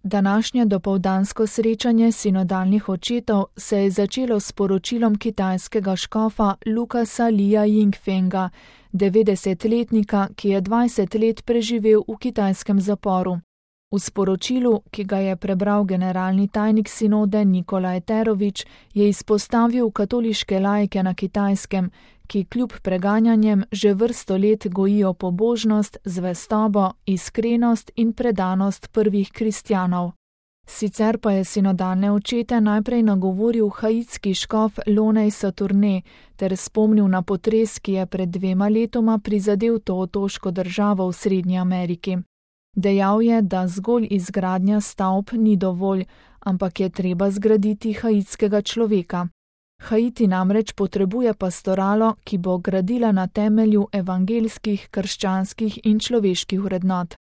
Današnje dopoldansko srečanje sinodalnih očetov se je začelo s poročilom kitajskega škofa Lucasa Lia Yingfenga, 90-letnika, ki je 20 let preživel v kitajskem zaporu. V sporočilu, ki ga je prebral generalni tajnik sinode Nikolaj Terovič, je izpostavil katoliške laike na Kitajskem, ki kljub preganjanjem že vrsto let gojijo pobožnost, zvestobo, iskrenost in predanost prvih kristjanov. Sicer pa je sinodalne očete najprej nagovoril haitski škof Lonej Saturne ter spomnil na potres, ki je pred 2 letoma prizadel to otoško državo v Srednji Ameriki. Dejal je, da zgolj izgradnja stavb ni dovolj, ampak je treba zgraditi haitskega človeka. Haiti namreč potrebuje pastoralo, ki bo gradila na temelju evangeljskih, krščanskih in človeških vrednot.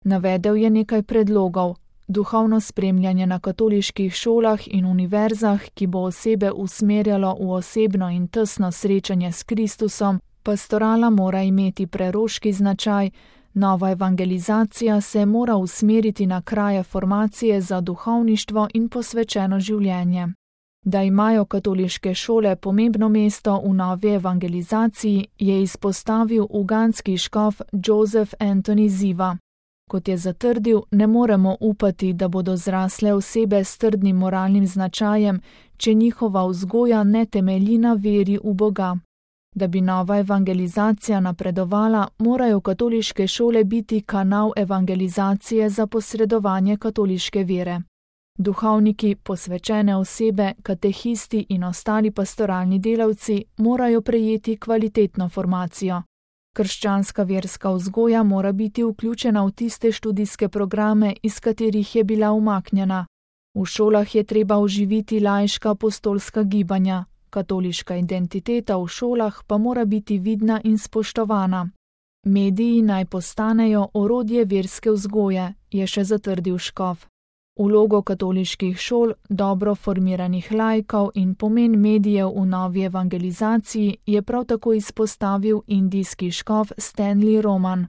Navedel je nekaj predlogov: duhovno spremljanje na katoliških šolah in univerzah, ki bo osebe usmerjalo v osebno in tesno srečanje s Kristusom, pastorala mora imeti preroški značaj, nova evangelizacija se mora usmeriti na kraje formacije za duhovništvo in posvečeno življenje. Da imajo katoliške šole pomembno mesto v novi evangelizaciji, je izpostavil ugandski škof Joseph Anthony Ziva. Kot je zatrdil, ne moremo upati, da bodo zrasle osebe s trdnim moralnim značajem, če njihova vzgoja ne temelji na veri v Boga. Da bi nova evangelizacija napredovala, morajo katoliške šole biti kanal evangelizacije za posredovanje katoliške vere. Duhovniki, posvečene osebe, katehisti in ostali pastoralni delavci morajo prejeti kvalitetno formacijo. Krščanska verska vzgoja mora biti vključena v tiste študijske programe, iz katerih je bila umaknjena. V šolah je treba oživiti laiška apostolska gibanja, katoliška identiteta v šolah pa mora biti vidna in spoštovana. Mediji naj postanejo orodje verske vzgoje, je še zatrdil škof. Vlogo katoliških šol, dobro formiranih laikov in pomen medijev v novi evangelizaciji je prav tako izpostavil indijski škof Stanley Roman.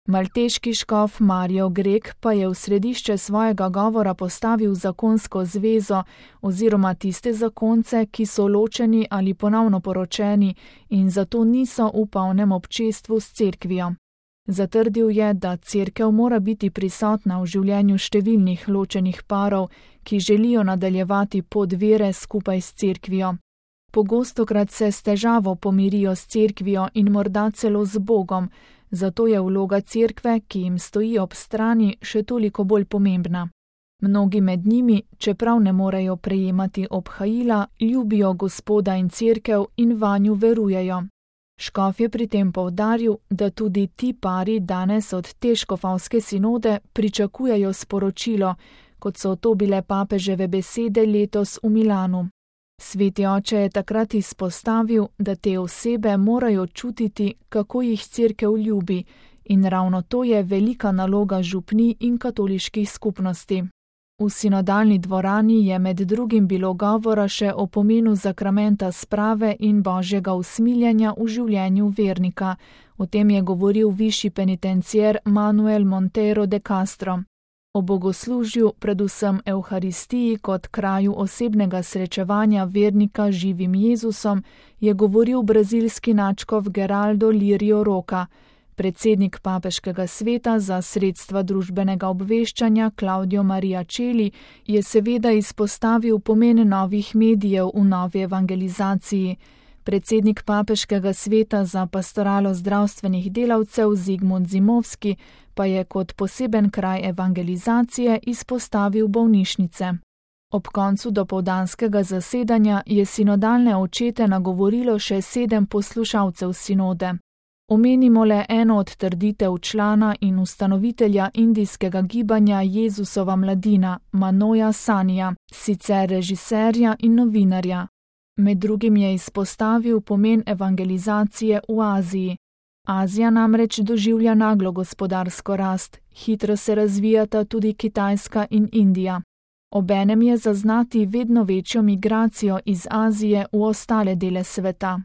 Malteški škof Mario Grek pa je v središče svojega govora postavil zakonsko zvezo oziroma tiste zakonce, ki so ločeni ali ponovno poročeni in zato niso v polnem občestvu s cerkvijo. Zatrdil je, da cerkev mora biti prisotna v življenju številnih ločenih parov, ki želijo nadaljevati pot vere skupaj s cerkvijo. Pogostokrat se s težavo pomirijo s cerkvijo in morda celo z Bogom, zato je vloga cerkve, ki jim stoji ob strani, še toliko bolj pomembna. Mnogi med njimi, čeprav ne morejo prejemati obhajila, ljubijo Gospoda in cerkev in vanju verujejo. Škof je pri tem poudaril, da tudi ti pari danes od te škofovske sinode pričakujejo sporočilo, kot so to bile papeževe besede letos v Milanu. Sveti oče je takrat izpostavil, da te osebe morajo čutiti, kako jih cerkev ljubi, in ravno to je velika naloga župnij in katoliških skupnosti. V sinodalni dvorani je med drugim bilo govora še o pomenu zakramenta sprave in božjega usmiljenja v življenju vernika. O tem je govoril višji penitencier Manuel Monteiro de Castro. O bogoslužju, predvsem Evharistiji kot kraju osebnega srečevanja vernika z živim Jezusom, je govoril brazilski nadškof Geraldo Lirio Roca. Predsednik papeškega sveta za sredstva družbenega obveščanja Claudio Maria Celli je seveda izpostavil pomen novih medijev v novi evangelizaciji. Predsednik papeškega sveta za pastoralo zdravstvenih delavcev Zigmund Zimovski pa je kot poseben kraj evangelizacije izpostavil bolnišnice. Ob koncu dopoldanskega zasedanja je sinodalne očete nagovorilo še 7 poslušalcev sinode. Omenimo le eno od trditev člana in ustanovitelja indijskega gibanja Jezusova mladina, Manoja Sanija, sicer režiserja in novinarja. Med drugim je izpostavil pomen evangelizacije v Aziji. Azija namreč doživlja naglo gospodarsko rast, hitro se razvijata tudi Kitajska in Indija. Obenem je zaznati vedno večjo migracijo iz Azije v ostale dele sveta.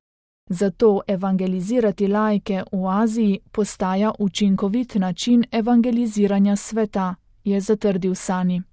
Zato evangelizirati laike v Aziji postaja učinkovit način evangeliziranja sveta, je zatrdil Sani.